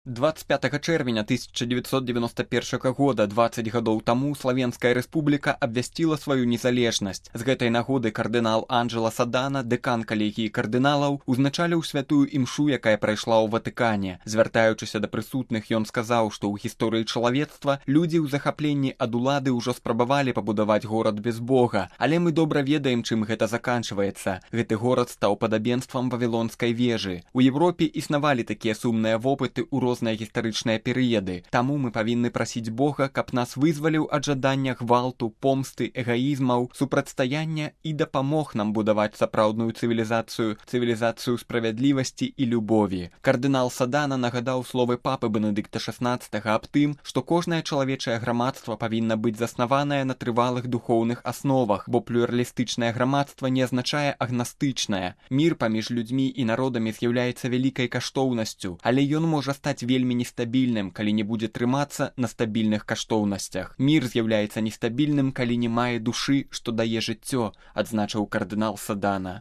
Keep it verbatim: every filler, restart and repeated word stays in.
двадцать пятага чэрвеня тысяча девятьсот девяносто первага года, дваццаць гадоў таму, Славенская рэспубліка абвясціла сваю незалежнасць. З гэтай нагоды кардынал Анджела Садана, дэкан калегіі кардыналаў, узначаліў святую імшу, якая прайшла ў Ватыкане. Звяртаючыся да прысутных, ён сказаў, што ў гісторыі чалавецтва людзі ў захапленні ад улады ўжо спрабавалі пабудаваць горад без Бога, але мы добра ведаем, чым гэта заканчваецца. Гэты горад стаў падабенствам вавілонскай вежы. У Европе існавалі такія сумныя вопыты ў розныя гістарычныя перыяды. Таму мы павінны прасіць Бога, каб нас вызваліў ад жадання гвалту, помсты, эгаізмаў, супрацьстаяння і дапамог нам будаваць сапраўдную цывілізацыю, цывілізацыю справядлівасці і любові. Кардынал Садана нагадаў словы папы Бенедыкта шаснаццатага аб тым, што кожнае чалавечае грамадства павінна быць заснаванае на трывалых духоўных асновах, бо плюралістычнае грамадства не азначае агнастычнае. Мір паміж людзьмі і народамі з'яўляецца вялікай каштоўнасцю, але ён можа стаць вельмі нестабільным, калі не будзе трымацца на стабільных каштоўнасцях. Мір з'яўляецца нестабільным, калі не мае душы, што дае жыццё, адзначыў кардынал Садана.